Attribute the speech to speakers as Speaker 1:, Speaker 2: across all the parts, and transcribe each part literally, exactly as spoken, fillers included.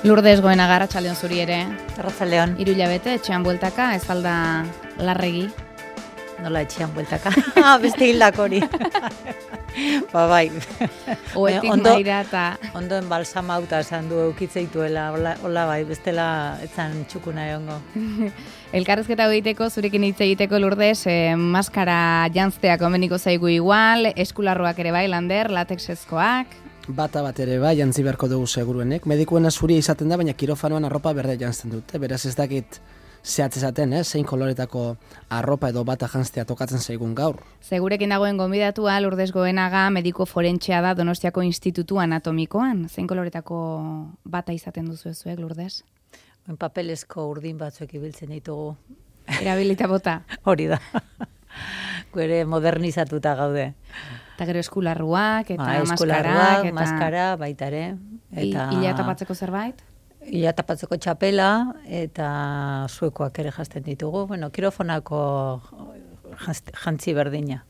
Speaker 1: Lourdes Goenaga, arratsaldeon zuri ere.
Speaker 2: Arratsaldeon.
Speaker 1: Hiru hilabete etxean bueltaka, ez alda larregi.
Speaker 2: Nola etxean bueltaka? Ah, beste hildak hori. Ba bai.
Speaker 1: Oetik
Speaker 2: ondo,
Speaker 1: maira eta...
Speaker 2: Ondoen balsamauta esan du eukitzeituela, hola, hola bai, bestela etzan txukuna egongo.
Speaker 1: Elkarrezketa egiteko, zurekin hitz egiteko Lourdes, eh, maskara jantztea komeniko zaigu igual, eskularroak ere bai, lander, latexezkoak...
Speaker 3: Bata bat ere bai, jantzi beharko dugu seguruenek. Medikuena zuria izaten da, baina kirofanoan arropa berde jantzten dute. Beraz ez dakit zehatz esaten, eh? zein koloretako arropa edo bata jantztea tokatzen zaigun gaur.
Speaker 1: Segurekin dagoen gonbidatua Lourdes Goenaga, mediko forentxea da Donostiako Institutu Anatomikoan. Zein koloretako bata izaten duzu ezuek, Lourdes?
Speaker 2: En papelezko urdin batzuek ibiltzen ditugu.
Speaker 1: Erabilita bota.
Speaker 2: Hori da. Gure modernizatuta gaude.
Speaker 1: Eta gero eskularruak, eta
Speaker 2: ba,
Speaker 1: maskarak, eta...
Speaker 2: maskara, baita ere.
Speaker 1: Eta... Ila tapatzeko zerbait?
Speaker 2: Ila tapatzeko txapela, eta zuekoak ere jazten ditugu. Bueno, kirofonako jantzi berdina.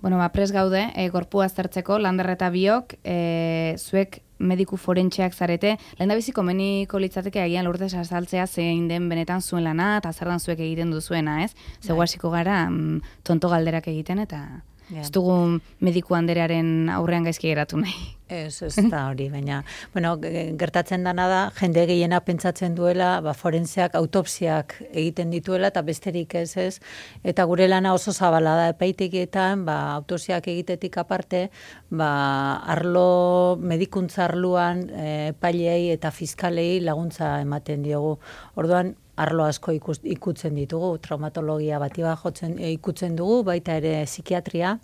Speaker 1: Bueno, ba, pres gaude, e, gorpua aztertzeko, Lander eta biok, e, zuek mediku forentxeak zarete, lehen da biziko meniko litzateke agian Lourdes azaltzea zein den benetan zuen lana, eta zer dan zuek egiten duzuena, ez? Zego hasiko gara, mm, tonto galderak egiten, eta yeah. Ez dugu mediku anderearen aurrean gaizki geratu nahi.
Speaker 2: Ez, ez da hori, baina, bueno, gertatzen dana da, jende gehiena pentsatzen duela, ba, forenseak autopsiak egiten dituela, eta besterik ez ez, eta gure lana oso zabala da epaitegietan, ba, autopsiak egitetik aparte, ba, arlo, medikuntza arloan, epailei eta fiskalei laguntza ematen diogu. Orduan, arlo asko ikus, ikutzen ditugu, traumatologia bati bat jotzen ikutzen dugu, baita ere psikiatria,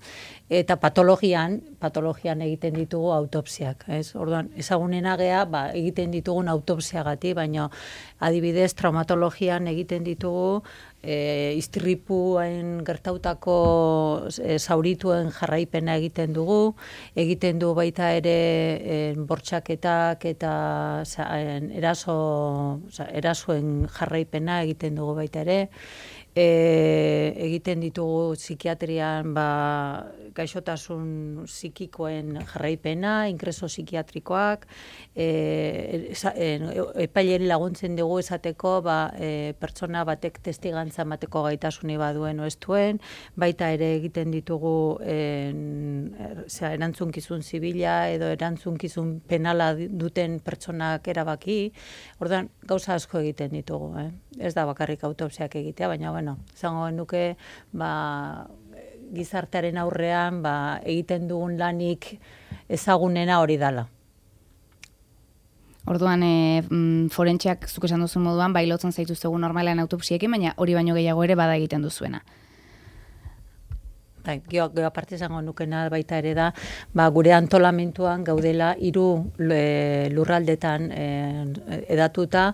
Speaker 2: eta patologian, patologian egiten ditugu autopsiak, ez? Orduan, ezagunena gea, ba, egiten ditugun autopsiagati, baina adibidez traumatologian egiten ditugu e, istripuen gertautako e, zaurituen jarraipena egiten dugu, egiten du baita ere e, bortxaketak eta za, en, eraso, za, erasoen jarraipena egiten dugu baita ere, e, egiten ditugu psikiatrian ba, gaixotasun psikikoen jarraipena, ingreso psikiatrikoak, e, e, epaileri laguntzen dugu esateko ba, e, pertsona batek testigantza emateko gaitasuni baduen o ez duen, baita ere egiten ditugu en, zera, erantzunkizun zibila edo erantzunkizun penala duten pertsonak erabaki, orduan gauza asko egiten ditugu, eh? Ez da bakarrik autopsiak egitea, baina bueno, izango genuke ba, gizartearen aurrean ba, egiten dugun lanik ezagunena hori dala.
Speaker 1: Orduan, e, forentxeak zuk esan duzun moduan, bai lotzen zaituztegu normalean autopsiekin, baina hori baino gehiago ere bada egiten duzuena.
Speaker 2: Bai, geho, geho aparte izango nukena baita ere da, ba, gure antolamentuan gaudela hiru e, lurraldetan e, edatuta,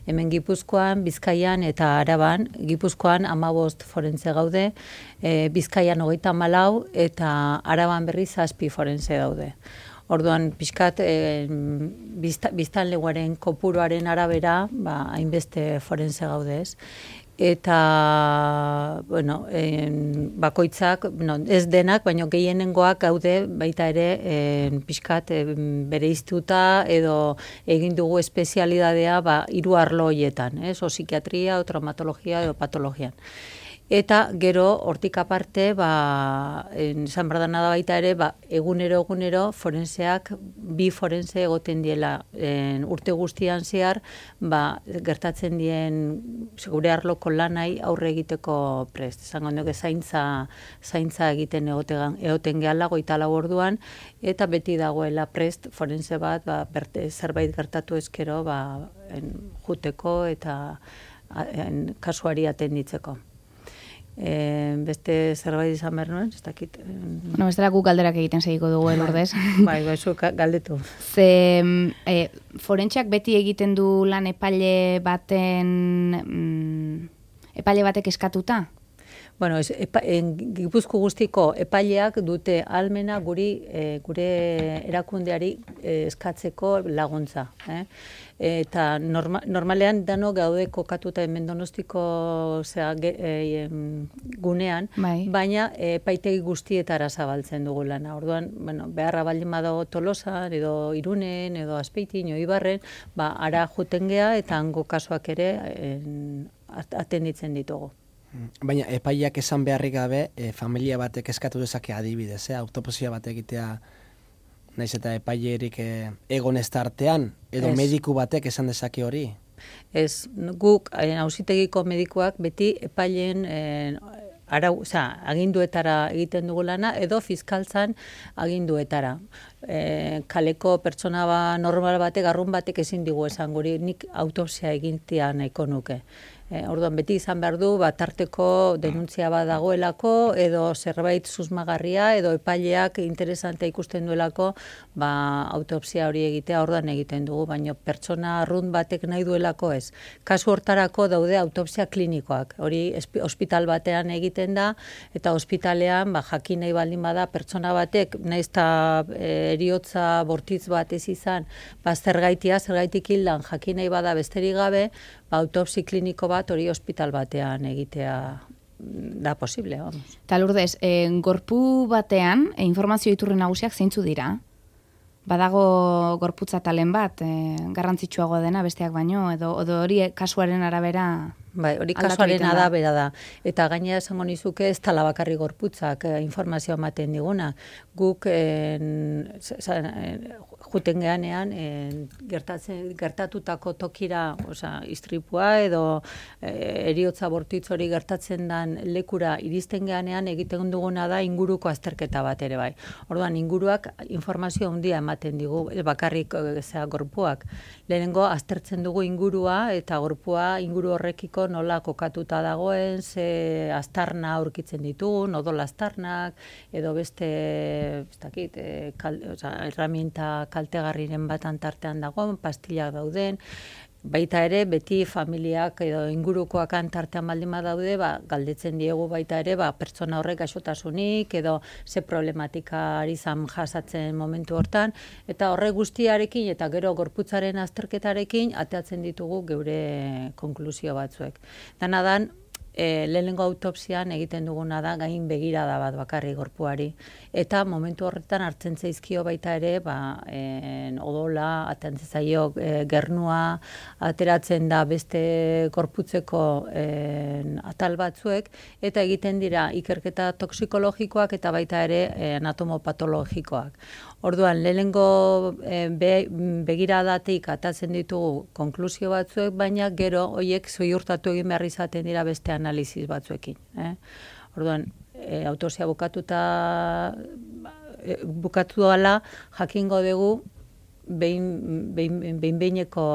Speaker 2: hemen Gipuzkoan, Bizkaian eta Araban. Gipuzkoan hamabost forense gaude, e, Bizkaian hogeita hamalau eta Araban berriz zazpi forense daude. Orduan, pixkat, e, biztanleguaren kopuruaren arabera, ba, hainbeste forense gaude ez. Eta, bueno, en, bakoitzak, no, ez denak, baina gehienengoak gaude baita ere en, pixkat en, bereiztuta edo egin dugu espezialidadea ba, hiru arlo horietan, ez? O psikiatria, o traumatologia edo patologian. Eta gero, hortik aparte, ba, esan berdana da baita ere, ba, egunero egunero forenseak, bi forense egoten diela en, urte guztian zehar, ba, gertatzen dien gure arloko lanai aurre egiteko prest. Esango nuke zaintza, zaintza egiten egoten, egoten gehala goita lau orduan, eta beti dagoela prest forense bat ba, berte, zerbait gertatu ezkero ba, en, juteko eta en, kasuari atenditzeko. E, beste zerbait izan behar nuen, ez dakit.
Speaker 1: Bueno, bestela guk galderak egiten segiko dugu, Lourdes.
Speaker 2: Bai, bai, zu galdetu.
Speaker 1: Ze, e, forentxeak beti egiten du lan epaile baten, mm, epaile batek eskatuta?
Speaker 2: Bueno, ez, epa, en, Gipuzko guztiko epaileak dute almena guri, e, gure erakundeari e, eskatzeko laguntza. Eh? Eta norma, normalean dano gaude kokatuta hemen Donostiko zera, ge, e, gunean,
Speaker 1: bai.
Speaker 2: baina epaitegi guztietara zabaltzen dugu lana. Orduan, bueno, beharra baldin badago Tolosan, edo Irunen, edo Azpeitin, edo Ibarren, ba, ara juten gea eta hango kasuak ere en, atenditzen ditugu.
Speaker 3: Baina epaileak esan beharrik gabe, e, familia batek eskatu dezake adibidez, eh? autopsia bat egitea, naiz eta epailerik e, egon ez tartean, edo
Speaker 2: Ez.
Speaker 3: mediku batek esan dezake hori?
Speaker 2: Ez, guk auzitegiko medikuak beti epaileen eh, arau, oza, aginduetara egiten dugu lana, edo fiskaltzan aginduetara. E, kaleko pertsona ba, normal batek, arrun batek ezin digu esan guri, nik autopsia egintia nahiko nuke. E, orduan beti izan behar du, bat tarteko denuntzia bat dagoelako, edo zerbait susmagarria, edo epaileak interesantea ikusten duelako, ba, autopsia hori egitea orduan egiten dugu, baina pertsona arrun batek nahi duelako ez. Kasu hortarako daude autopsia klinikoak, hori ospital batean egiten da, eta ospitalean ba, jakin nahi baldin bada pertsona batek, nahiz eta e, eriotza bortitz bat ez izan, ba, zergaitia, zergaitik hildan jakin nahi bada besterik gabe, ba, autopsi kliniko bat hori ospital batean egitea da posible, vamos.
Speaker 1: Ta Lourdes, e, gorpu batean, e, informazio iturri nagusiak zeintzu dira? Badago gorputza talen bat, e, garrantzitsuagoa dena besteak baino, edo, edo hori kasuaren arabera...
Speaker 2: Bai, hori kasuaren arabera da. Eta gainera esango nizuke ez tala bakarri gorputzak eh, informazioa ematen diguna. Guk en, juten geanean en, gertatzen, gertatutako tokira, osea, istripua edo eh, eriotza bortitz hori gertatzen den lekura iristen geanean egiten duguna da inguruko azterketa bat ere bai. Orduan inguruak informazio handia ematen digu, bakarrik zera gorpuak. Lehenengo aztertzen dugu ingurua eta gorpua inguru horrekiko nola kokatuta dagoen, ze aztarna aurkitzen ditugun, odol aztarnak, edo beste, ez dakit, e, kal, oza, herramienta kaltegarriren bat antartean dagoen, pastillak dauden, baita ere, beti familiak edo ingurukoak antartean baldin badaude, ba, galdetzen diegu baita ere, ba, pertsona horrek gaixotasunik, edo ze problematika ari zan jasatzen momentu hortan, eta horrek guztiarekin, eta gero gorputzaren azterketarekin, ateatzen ditugu geure konklusio batzuek. Dana dan, E, lehenengo autopsian egiten duguna da gain begirada bat bakarri gorpuari. Eta momentu horretan hartzen zaizkio baita ere, ba, en, odola, atentzen zaio e, gernua, ateratzen da beste gorputzeko en, atal batzuek, eta egiten dira ikerketa toxikologikoak eta baita ere e, anatomopatologikoak. Orduan, lehenengo e, be, begiradatik atatzen ditugu konklusio batzuek, baina gero horiek zoiurtatu egin behar izaten dira beste analiziz batzuekin. Eh? Orduan, e, autopsia bukatuta e, bukatu dela jakingo dugu behin, behin, behin behineko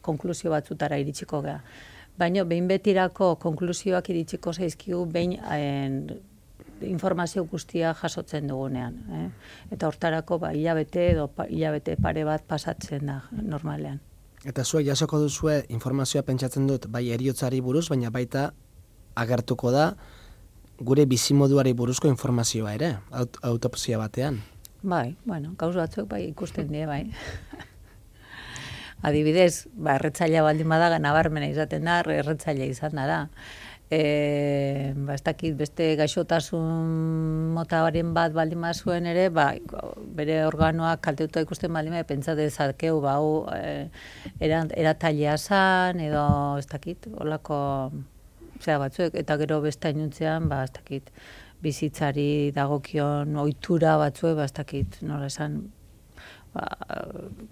Speaker 2: konklusio batzutara iritsiko gara. Baina behin betirako konklusioak iritsiko zaizkigu behin en, informazio guztia jasotzen dugunean. Eh? Eta hortarako ba, hilabete edo pa, hilabete pare bat pasatzen da normalean.
Speaker 3: Eta zuek jasoko duzue informazioa pentsatzen dut bai heriotzari buruz, baina baita agertuko da gure bizimoduari buruzko informazioa ere, aut autopsia batean.
Speaker 2: Bai, bueno, gauz batzuk bai ikusten die, bai. Adibidez, ba, erretzailea baldin bada nabarmena izaten da, erretzailea izan da. E, ba, ez dakit beste gaixotasun motaren bat baldin bazuen ere, ba, bere organoak kaltetuta ikusten baldin bat, pentsa dezakeu, ba, hau e, eratailea zan, edo ez dakit, holako zera batzuek, eta gero beste ainuntzean, ba, ez dakit, bizitzari dagokion ohitura batzuek, ba, ez dakit, nola esan, ba,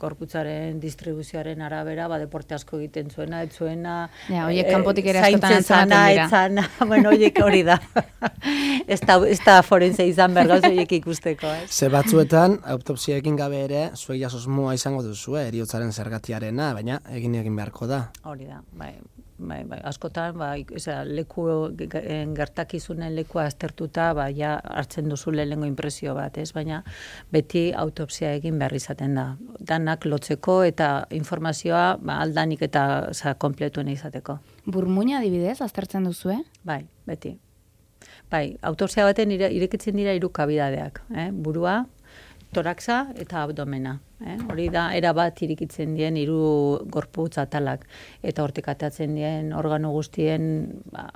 Speaker 2: korputzaren distribuzioaren arabera, ba, deporte asko egiten zuena, ez zuena,
Speaker 1: ja, oiek kanpotik ere askotan
Speaker 2: zaintzen dira. Zana, bueno, oiek hori da. Ez da, ez da forense izan behar gauz oiek ikusteko, ez?
Speaker 3: Ze batzuetan, autopsia egin gabe ere, zuek jasosmoa izango duzu, eriotzaren zergatiarena, baina egin egin beharko da.
Speaker 2: Hori da, bai. Bai, bai, askotan, ba, eza, leku, gertakizunen lekua aztertuta, ba, ja, hartzen duzu lehenengo inpresio bat, ez? Baina beti autopsia egin behar izaten da. Danak lotzeko eta informazioa ba, aldanik eta za, kompletuen izateko.
Speaker 1: Burmuina adibidez, aztertzen duzue?
Speaker 2: Bai, beti. Bai, autopsia baten ire, irekitzen dira hiru kabidadeak, eh? Burua, toraxa eta abdomena. Eh? Hori da, erabat irikitzen dien hiru gorputz atalak. Eta hortik atatzen dien organo guztien, ba,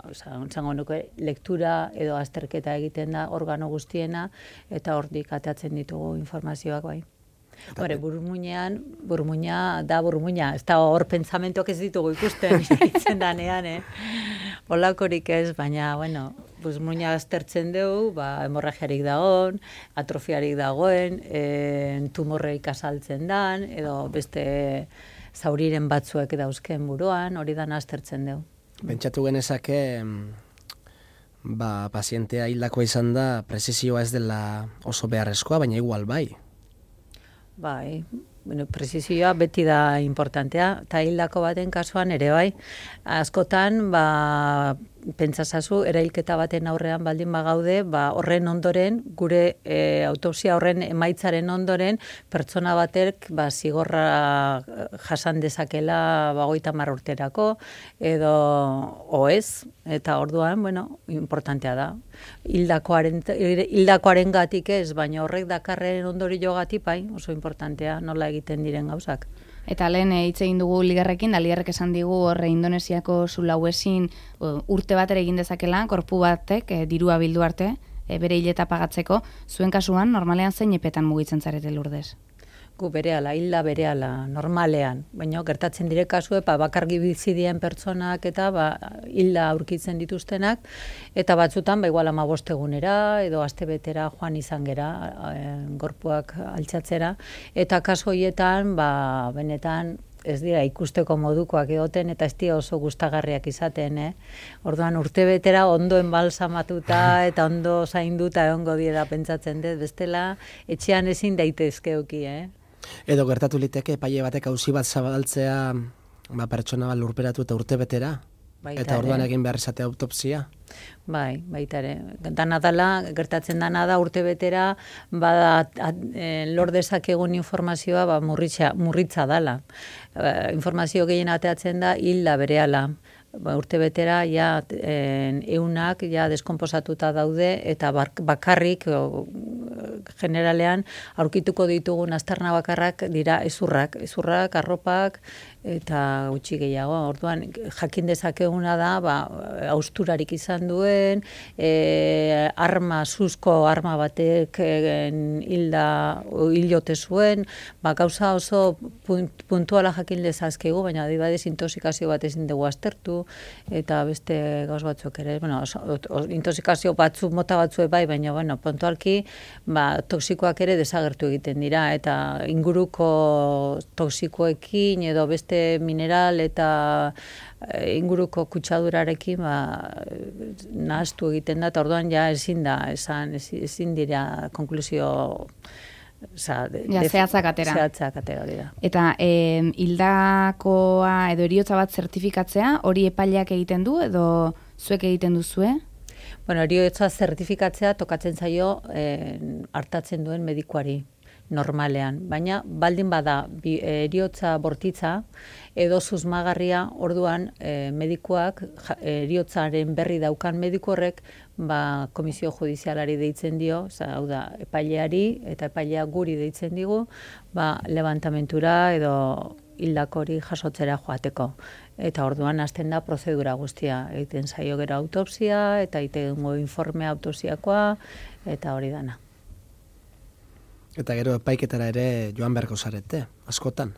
Speaker 2: zango nuke, lektura edo azterketa egiten da organo guztiena, eta hortik atatzen ditugu informazioak bai. Hore, burmuinean, burmuina da burmuina, ez da hor pentsamentoak ez ditugu ikusten, itzen danean, eh? Olakorik ez, baina, bueno, burmuina aztertzen dugu, ba, hemorragiarik dagoen, atrofiarik dagoen, e, tumorreik azaltzen dan, edo beste zauriren batzuek dauzken buruan, hori dan aztertzen dugu.
Speaker 3: Pentsatu genezake, ba, pazientea hildakoa izan da, prezizioa ez dela oso beharrezkoa, baina igual bai.
Speaker 2: Bai, bueno, prezizioa beti da importantea, eta hildako baten kasuan ere bai. Askotan, ba, pentsasazu, erailketa baten aurrean baldin bagaude, ba, horren ondoren, gure e, autopsia horren emaitzaren ondoren, pertsona batek ba, zigorra jasan dezakela bagoita mar urterako, edo oez, eta orduan, bueno, importantea da. Hildakoaren, hildakoaren gatik ez, baina horrek dakarren ondori jogatik, bai, oso importantea nola egiten diren gauzak.
Speaker 1: Eta lehen hitz egin dugu Ligerrekin, da Ligerrek esan digu horre Indonesiako zulauezin urte bat ere egin dezakela, korpu batek, e, dirua bildu arte, e, bere hileta pagatzeko. Zuen kasuan, normalean zein epetan mugitzen zarete Lurdez?
Speaker 2: Gu berehala, hilda berehala, normalean. Baina gertatzen dire kasue, ba, bakargi bizi dien pertsonak eta ba, hilda aurkitzen dituztenak, eta batzutan, ba, igual hamabost egunera, edo astebetera joan izan gera, e, gorpuak altxatzera, eta kasu horietan, ba, benetan, ez dira ikusteko modukoak egoten, eta ez dira oso gustagarriak izaten, eh? Orduan urtebetera ondo enbalsamatuta eta ondo zainduta egongo diera pentsatzen dut, bestela etxean ezin daitezkeuki, eh?
Speaker 3: Edo gertatu liteke epaile batek auzi bat zabaltzea, ba, pertsona bat lurperatu eta urtebetera? Baita eta orduan egin behar izatea autopsia?
Speaker 2: Bai, baita ere. Dana dela, gertatzen dana da urtebetera, bada lor dezakegun informazioa ba, murritza, murritza dala. E, informazio gehien ateatzen da hilda berehala. Ba, urtebetera ja en, eunak ja deskomposatuta daude eta bakarrik o, generalean aurkituko ditugun aztarna bakarrak dira ezurrak, ezurrak, arropak eta gutxi gehiago. Orduan jakin dezakeguna da, ba, hausturarik izan duen, e, arma, suzko arma batek hilda hilote zuen, ba, gauza oso puntuala jakin dezazkegu, baina adibadez intoxikazio bat ezin dugu aztertu, eta beste gauz batzuk ere, bueno, intoxikazio batzu, mota batzu bai, baina, bueno, puntualki, ba, toksikoak ere desagertu egiten dira, eta inguruko toksikoekin edo beste mineral eta inguruko kutsadurarekin ba, nahaztu egiten da, eta orduan ja ezin da, esan, ezin dira konklusio Osa, de,
Speaker 1: ja, zehatzak atera.
Speaker 2: Zehatzak atera hori da.
Speaker 1: Eta e, hildakoa edo heriotza bat zertifikatzea, hori epaileak egiten du edo zuek egiten duzue?
Speaker 2: Bueno, heriotza zertifikatzea tokatzen zaio e, hartatzen duen medikuari normalean, baina baldin bada heriotza bortitza edo susmagarria, orduan e, medikuak heriotzaren berri daukan mediku horrek ba, komisio judizialari deitzen dio, oza, hau da, epaileari eta epailea guri deitzen digu, ba, levantamentura edo hildakori jasotzera joateko. Eta orduan hasten da prozedura guztia, egiten zaio gero autopsia eta egitengo informe autopsiakoa eta hori dana.
Speaker 3: Eta gero epaiketara ere joan beharko zarete, askotan.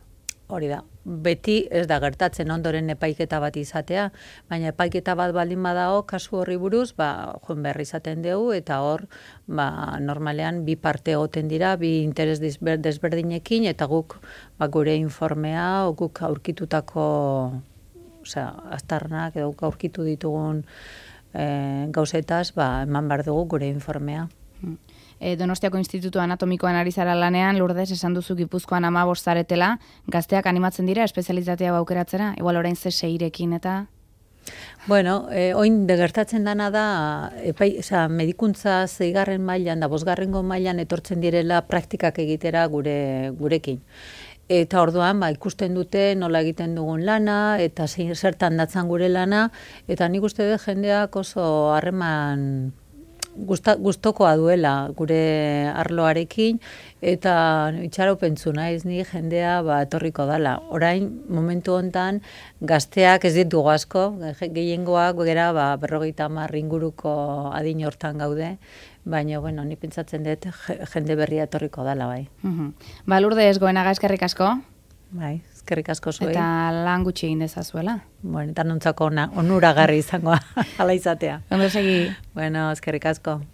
Speaker 2: Hori da. Beti ez da gertatzen ondoren epaiketa bat izatea, baina epaiketa bat baldin badago kasu horri buruz, ba, joan behar izaten dugu, eta hor, ba, normalean bi parte egoten dira, bi interes desberdinekin, eta guk ba, gure informea, guk aurkitutako osea, aztarnak, edo guk aurkitu ditugun e, gauzetaz, ba, eman behar dugu gure informea.
Speaker 1: E, Donostiako Institutu Anatomikoan ari zara lanean, Lurdez, esan duzu Gipuzkoan hamabost zaretela, gazteak animatzen dira espezialitatea aukeratzera, igual orain ze seirekin eta...
Speaker 2: Bueno, eh, oin degertatzen dana da, epai, oza, medikuntza zeigarren mailan da bosgarrengo mailan etortzen direla praktikak egitera gure gurekin. Eta orduan, ba, ikusten dute nola egiten dugun lana, eta zertan datzan gure lana, eta nik uste dut jendeak oso harreman gusta, gustokoa duela gure arloarekin, eta itxaropentzu naiz ni jendea ba, etorriko dala. Orain, momentu hontan, gazteak ez ditugu asko, gehiengoak gera ba, berrogeita hamar inguruko adin hortan gaude, baina, bueno, ni pentsatzen dut jende berria etorriko dala, bai.
Speaker 1: Uhum. Ba, Lourdes Goenaga, eskerrik asko.
Speaker 2: Bai, eskerrik asko zuei.
Speaker 1: Eta lan gutxi egin dezazuela.
Speaker 2: Bueno, eta nontzako ona, onuragarri izangoa, ala izatea.
Speaker 1: Ondo segi.
Speaker 2: Bueno, eskerrik asko.